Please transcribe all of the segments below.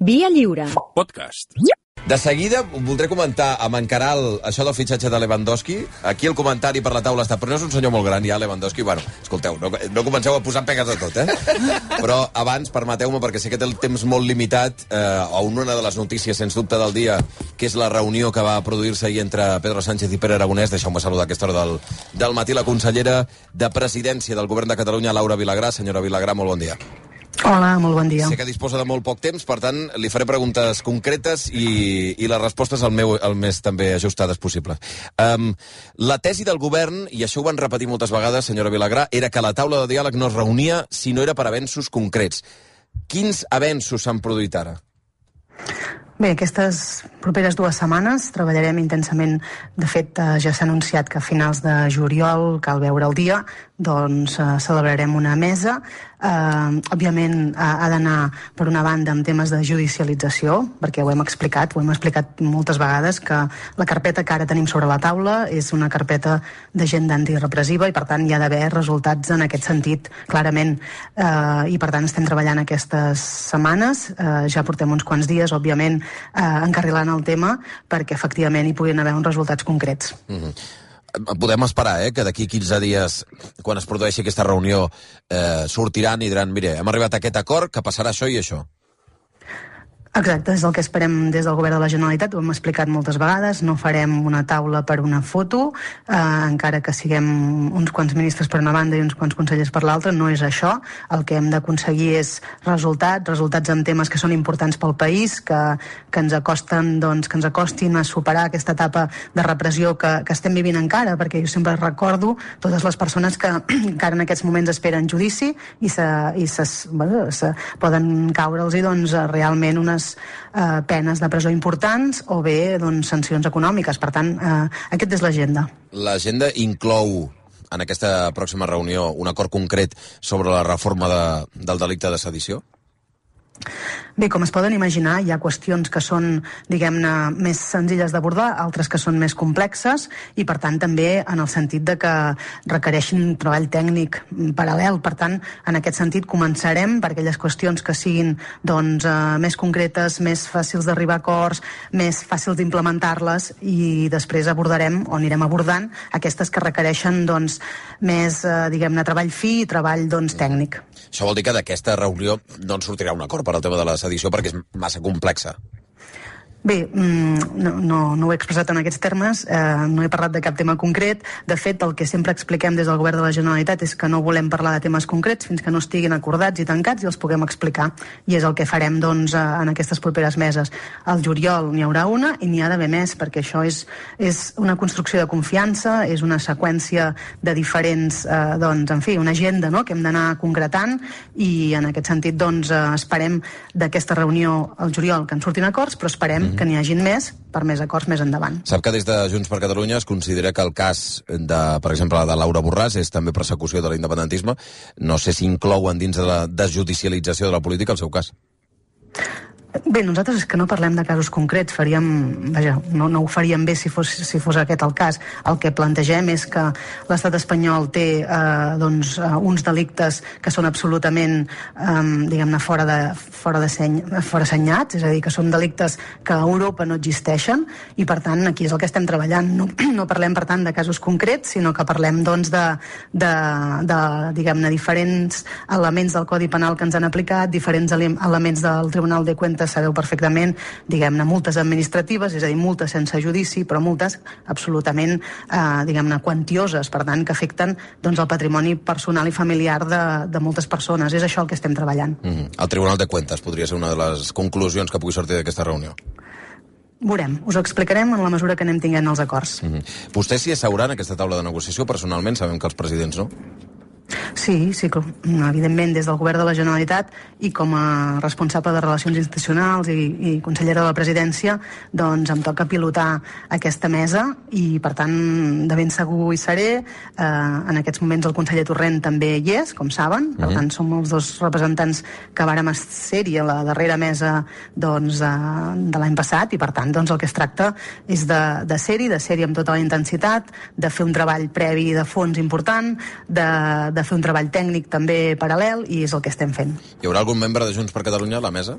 Via Lliure. Podcast. De seguida voldré comentar amb en Caral això del fitxatge de Lewandowski. Aquí el comentari per la taula està, però no és un senyor molt gran ja, Lewandowski. Bueno, escolteu, no comenceu a posar pegues a tot, Però abans, permeteu-me, perquè sé que té el temps molt limitat, a una de les notícies, sens dubte, del dia, que és la reunió que va produir-se ahir entre Pedro Sánchez i Pere Aragonès. Deixeu-me saludar a aquesta hora del matí la consellera de Presidència del Govern de Catalunya, Laura Vilagrà. Senyora Vilagrà, molt bon dia. Hola, molt bon dia. Sé que disposa de molt poc temps, per tant, li faré preguntes concretes i les respostes el més també ajustades possible. La tesi del govern, i això ho van repetir moltes vegades, senyora Vilagrà, era que la taula de diàleg no es reunia si no era per avenços concrets. Quins avenços s'han produït ara? Bé, aquestes properes 2 setmanes treballarem intensament. De fet, ja s'ha anunciat que a finals de juliol, cal veure el dia, doncs celebrarem una mesa. Òbviament ha d'anar, per una banda, amb temes de judicialització, perquè ho hem explicat moltes vegades, que la carpeta que ara tenim sobre la taula és una carpeta d'agenda antirepressiva i, per tant, hi ha d'haver resultats en aquest sentit, clarament. I, per tant, estem treballant aquestes setmanes. Ja portem uns quants dies, òbviament, encarrilant el tema perquè, efectivament, hi puguin haver uns resultats concrets. Podem esperar, que d'aquí 15 dies, quan es produeixi aquesta reunió, sortiran i diran, mire, hem arribat a aquest acord, que passarà això i això. Exacte, és el que esperem des del Govern de la Generalitat, ho hem explicat moltes vegades, no farem una taula per una foto, encara que siguem uns quants ministres per una banda i uns quants consellers per l'altra, no és això. El que hem d'aconseguir és resultats en temes que són importants pel país, que ens acostin a superar aquesta etapa de repressió que estem vivint encara, perquè jo sempre recordo totes les persones que encara en aquests moments esperen judici i poden caure'ls realment unes penes de presó importants o bé sancions econòmiques. Per tant, aquesta és l'agenda. L'agenda inclou en aquesta pròxima reunió un acord concret sobre la reforma del delicte de sedició? Bé, com es poden imaginar, hi ha qüestions que són, diguem-ne, més senzilles d'abordar, altres que són més complexes i, per tant, també en el sentit de que requereixin un treball tècnic paral·lel. Per tant, en aquest sentit, començarem per aquelles qüestions que siguin més concretes, més fàcils d'arribar a acords, més fàcils d'implementar-les i després abordarem, o anirem abordant, aquestes que requereixen més, diguem-ne, treball fi i treball tècnic. Això vol dir que d'aquesta reunió no en sortirà un acord per al tema de la sedició perquè és massa complexa. Bé, no ho he expressat en aquests termes, no he parlat de cap tema concret. De fet, el que sempre expliquem des del Govern de la Generalitat és que no volem parlar de temes concrets fins que no estiguin acordats i tancats i els puguem explicar. I és el que farem en aquestes properes meses. Al juliol n'hi haurà una i n'hi ha d'haver més, perquè això és una construcció de confiança, és una seqüència de diferents, una agenda que hem d'anar concretant i en aquest sentit esperem d'aquesta reunió al juliol que en surtin acords, però esperem que n'hi hagin més per més acords més endavant. Sap que des de Junts per Catalunya es considera que el cas, per exemple, de Laura Borràs és també persecució de l'independentisme. No sé si inclouen dins de la desjudicialització de la política el seu cas. Bé, nosaltres és que no parlem de casos concrets, no ho faríem bé si fos aquest el cas. El que plantegem és que l'estat espanyol té uns delictes que són absolutament, diguem-ne, fora assenyats, és a dir, que són delictes que a Europa no existeixen i, per tant, aquí és el que estem treballant. No parlem, per tant, de casos concrets, sinó que parlem, diguem-ne, diferents elements del Codi Penal que ens han aplicat, diferents elements del Tribunal de Cuentas, sabeu perfectament, diguem-ne, multes administratives, és a dir, multes sense judici, però multes absolutament, diguem-ne, quantioses, per tant, que afecten el patrimoni personal i familiar de moltes persones. És això el que estem treballant. El Tribunal de Cuentas podria ser una de les conclusions que pugui sortir d'aquesta reunió. Veurem, us ho explicarem en la mesura que anem tinguent els acords. Vostè s'hi asseurà en aquesta taula de negociació? Personalment, sabem que els presidents no. Sí, evidentment, des del Govern de la Generalitat i com a responsable de Relacions Institucionals i consellera de la Presidència, em toca pilotar aquesta mesa i, per tant, de ben segur hi seré. En aquests moments el conseller Torrent també hi és, com saben, per tant, som els dos representants que vàrem ser-hi a la darrera mesa de l'any passat i, per tant, el que es tracta és de ser-hi amb tota la intensitat, de fer un treball previ de fons important, de fer un treball tècnic també paral·lel, i és el que estem fent. Hi haurà algun membre de Junts per Catalunya a la mesa?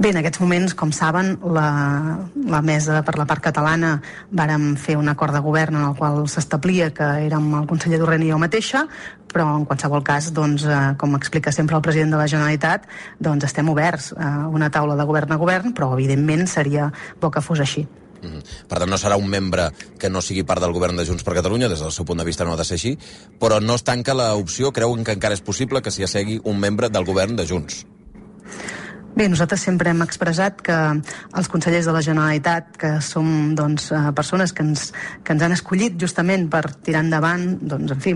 Bé, en aquests moments, com saben, la mesa per la part catalana vàrem fer un acord de govern en el qual s'establia que érem el conseller Torrent i jo mateixa, però en qualsevol cas, doncs, com explica sempre el president de la Generalitat, doncs estem oberts a una taula de govern a govern, però evidentment seria bo que fos així. Per tant, no serà un membre que no sigui part del govern de Junts per Catalunya, des del seu punt de vista no ha de ser així, però no es tanca l'opció, creuen que encara és possible que s'hi assegui un membre del govern de Junts? Bé, nosaltres sempre hem expressat que els consellers de la Generalitat, que som doncs, persones que ens han escollit justament per tirar endavant, doncs, en fi,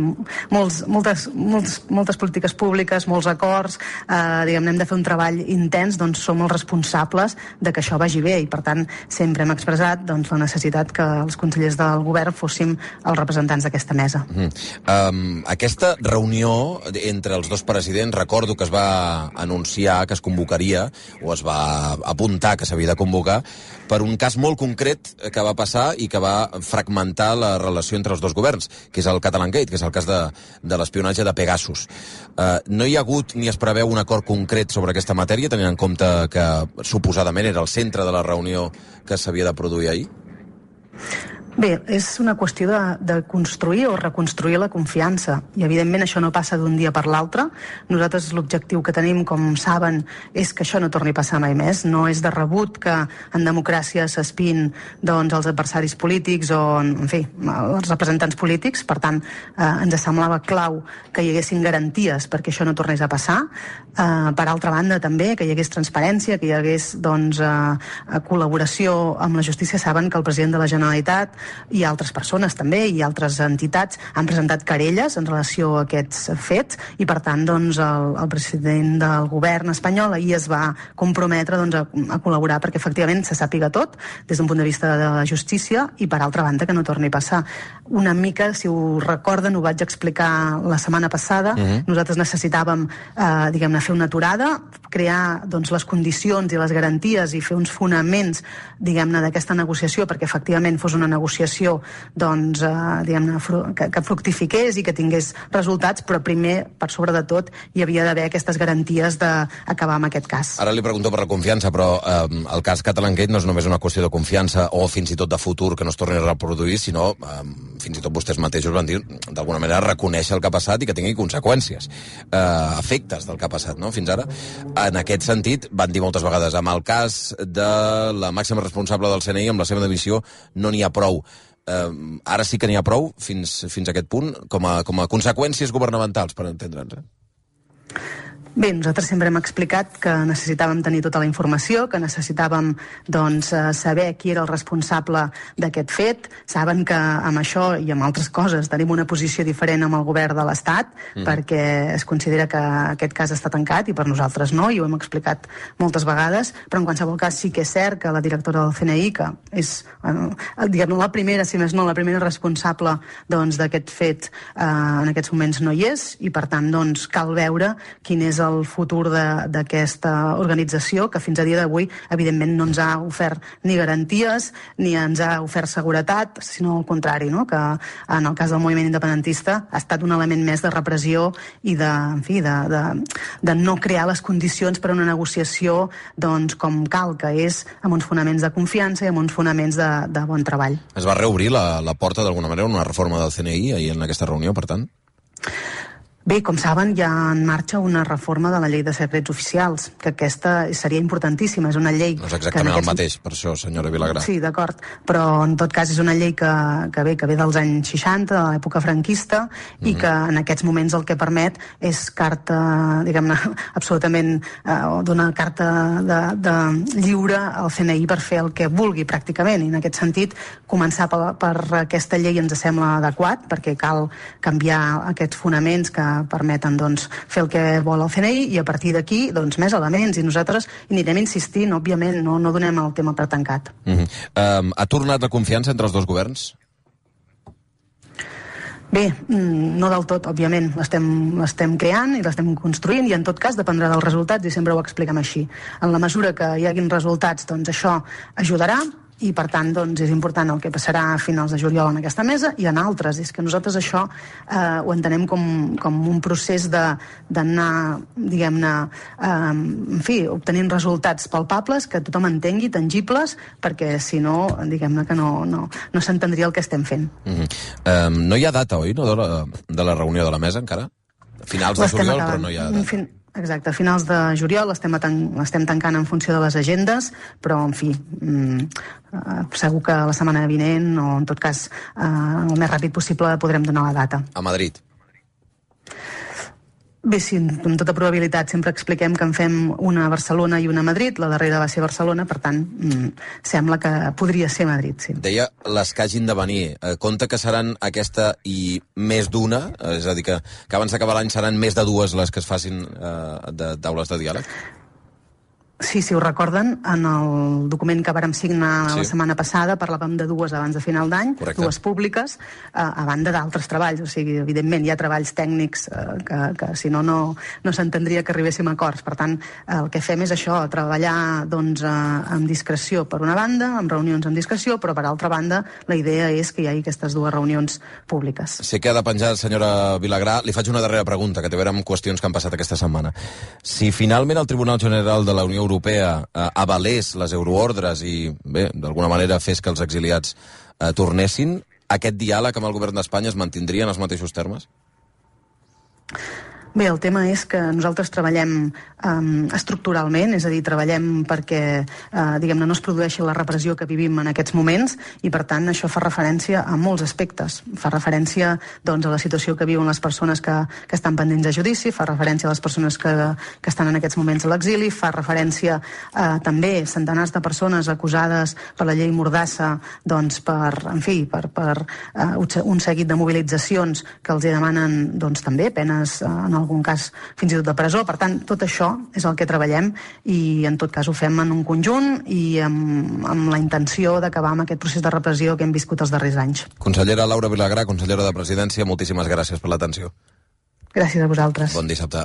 moltes polítiques públiques, molts acords, diguem-ne, hem de fer un treball intens, doncs som els responsables de que això vagi bé, i per tant sempre hem expressat doncs, la necessitat que els consellers del govern fóssim els representants d'aquesta mesa. Aquesta reunió entre els dos presidents, recordo que es va anunciar que es convocaria o es va apuntar que s'havia de convocar per un cas molt concret que va passar i que va fragmentar la relació entre els dos governs, que és el Catalangate, que és el cas de l'espionatge de Pegasus. No hi ha hagut ni es preveu un acord concret sobre aquesta matèria, tenint en compte que suposadament era el centre de la reunió que s'havia de produir ahir? Bé, és una qüestió de construir o reconstruir la confiança, i evidentment això no passa d'un dia per l'altre. Nosaltres l'objectiu que tenim, com saben, és que això no torni a passar mai més. No és de rebut que en democràcia s'espiïn doncs, els adversaris polítics o, en fi, els representants polítics. Per tant, ens semblava clau que hi haguessin garanties perquè això no tornés a passar. Per altra banda, també, que hi hagués transparència, que hi hagués doncs, col·laboració amb la justícia. Saben que el president de la Generalitat i altres persones també, i altres entitats han presentat querelles en relació a aquests fets, i per tant doncs, el president del govern espanyol ahir es va comprometre doncs, a col·laborar perquè efectivament se sàpiga tot des d'un punt de vista de la justícia, i per altra banda que no torni a passar. Una mica, si ho recorden, ho vaig explicar la setmana passada. Nosaltres necessitàvem diguem-ne, fer una aturada, crear doncs, les condicions i les garanties i fer uns fonaments, diguem-ne, d'aquesta negociació perquè efectivament fos una negociació doncs, diguem-ne, que fructifiqués i que tingués resultats, però primer, per sobre de tot, hi havia d'haver aquestes garanties d'acabar amb aquest cas. Ara li pregunto per la confiança, però el cas Catalangate no és només una qüestió de confiança o fins i tot de futur que no es torni a reproduir, sinó fins i tot vostès mateixos van dir, d'alguna manera, reconèixer el que ha passat i que tingui conseqüències, efectes del que ha passat, no? Fins ara, en aquest sentit, van dir moltes vegades, amb el cas de la màxima responsable del CNI, amb la seva dimissió, no n'hi ha prou. Ara sí que n'hi ha prou, fins a aquest punt, com a conseqüències governamentals, per entendre'ns. Bé, nosaltres sempre hem explicat que necessitàvem tenir tota la informació, que necessitàvem doncs, saber qui era el responsable d'aquest fet. Saben que amb això i amb altres coses tenim una posició diferent amb el govern de l'Estat, perquè es considera que aquest cas està tancat i per nosaltres no, i ho hem explicat moltes vegades, però en qualsevol cas sí que és cert que la directora del CNI, que és diguem-ne la primera, si més no, la primera responsable doncs, d'aquest fet, en aquests moments no hi és, i per tant doncs, cal veure quin és el futur d'aquesta organització, que fins a dia d'avui evidentment no ens ha ofert ni garanties ni ens ha ofert seguretat, sinó al contrari, no? Que en el cas del moviment independentista ha estat un element més de repressió i de no crear les condicions per a una negociació doncs, com cal, que és amb uns fonaments de confiança i amb uns fonaments de bon treball. Es va reobrir la porta d'alguna manera una reforma del CNI ahir en aquesta reunió, per tant? Bé, com saben, hi ha en marxa una reforma de la llei de secrets oficials, que aquesta seria importantíssima. És una llei... No és exactament el mateix, per això, senyora Vilagrà. Sí, d'acord, però en tot cas és una llei que ve dels anys 60, de l'època franquista, i que en aquests moments el que permet és carta, diguem-ne, absolutament, dona carta de lliure al CNI per fer el que vulgui, pràcticament, i en aquest sentit, començar per aquesta llei ens sembla adequat, perquè cal canviar aquests fonaments que permeten doncs, fer el que vol el CNI, i a partir d'aquí doncs, més elements, i nosaltres anirem insistint, òbviament, no donem el tema per tancat. Ha tornat la confiança entre els dos governs? Bé, no del tot, òbviament. L'estem creant i l'estem construint, i en tot cas dependrà dels resultats, i sempre ho expliquem així. En la mesura que hi haguin resultats, doncs això ajudarà, i per tant doncs, és important el que passarà a finals de juliol en aquesta mesa i en altres. És que nosaltres això ho entenem com un procés d'anar, diguem-ne, en fi, obtenint resultats palpables que tothom entengui, tangibles, perquè si no, diguem-ne que no s'entendria el que estem fent. No hi ha data, oi, no, de la reunió de la mesa encara? Finals de juliol, però no hi ha data. Exacte, a finals de juliol l'estem tancant en funció de les agendes, però, en fi, segur que la setmana vinent, o en tot cas, el més ràpid possible, podrem donar la data. A Madrid? Bé, sí, amb tota probabilitat sempre expliquem que en fem una a Barcelona i una a Madrid, la darrera va ser Barcelona, per tant, sembla que podria ser Madrid, sí. Deia les que hagin de venir. Compte que seran aquesta i més d'una, és a dir, que abans d'acabar l'any seran més de dues les que es facin de taules de diàleg? Sí, si ho recorden, en el document que vàrem signar la setmana passada parlàvem de dues abans de final d'any, dues públiques, a banda d'altres treballs. O sigui, evidentment, hi ha treballs tècnics que si no s'entendria que arribéssim a acords. Per tant, el que fem és això, treballar doncs, amb discreció per una banda, amb reunions amb discreció, però per altra banda la idea és que hi hagi aquestes dues reunions públiques. Sé que ha de penjar, senyora Vilagrà. Li faig una darrera pregunta, que té a veure amb qüestions que han passat aquesta setmana. Si finalment el Tribunal General de la Unió Europea avalés les euroordres i, bé, d'alguna manera fes que els exiliats tornessin, aquest diàleg amb el govern d'Espanya es mantindria en els mateixos termes? Bé, el tema és que nosaltres treballem estructuralment, és a dir, treballem perquè, diguem-ne, no es produeixi la repressió que vivim en aquests moments i, per tant, això fa referència a molts aspectes. Fa referència, doncs, a la situació que viuen les persones que estan pendents de judici, fa referència a les persones que estan en aquests moments a l'exili, fa referència també a centenars de persones acusades per la llei Mordassa, doncs, per un seguit de mobilitzacions que els demanen, doncs, també penes en algun cas fins i tot de presó. Per tant, tot això és el que treballem i en tot cas ho fem en un conjunt i amb la intenció d'acabar amb aquest procés de repressió que hem viscut els darrers anys. Consellera Laura Vilagrà, consellera de Presidència, moltíssimes gràcies per l'atenció. Gràcies a vosaltres. Bon dissabte.